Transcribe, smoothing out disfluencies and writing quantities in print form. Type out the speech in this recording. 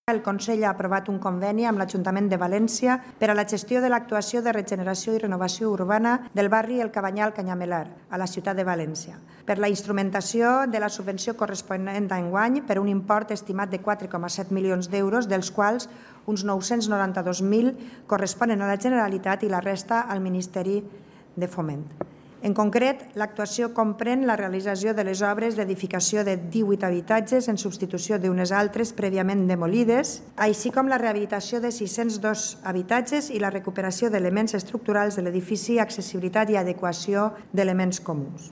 El Consell ha aprovat un conveni amb l'Ajuntament de València per a la gestió de l'actuació de regeneració i renovació urbana del barri El Cabanyal-Canyamelar, a la ciutat de València, per la instrumentació de la subvenció corresponent d'enguany per un import estimat de 4,7 milions d'euros, dels quals uns 992.000 corresponen a la Generalitat i la resta al Ministeri de Foment. En concret, l'actuació comprèn la realització de les obres d'edificació de 18 habitatges en substitució d'unes altres prèviament demolides, així com la rehabilitació de 602 habitatges i la recuperació d'elements estructurals de l'edifici, accessibilitat i adequació d'elements comuns.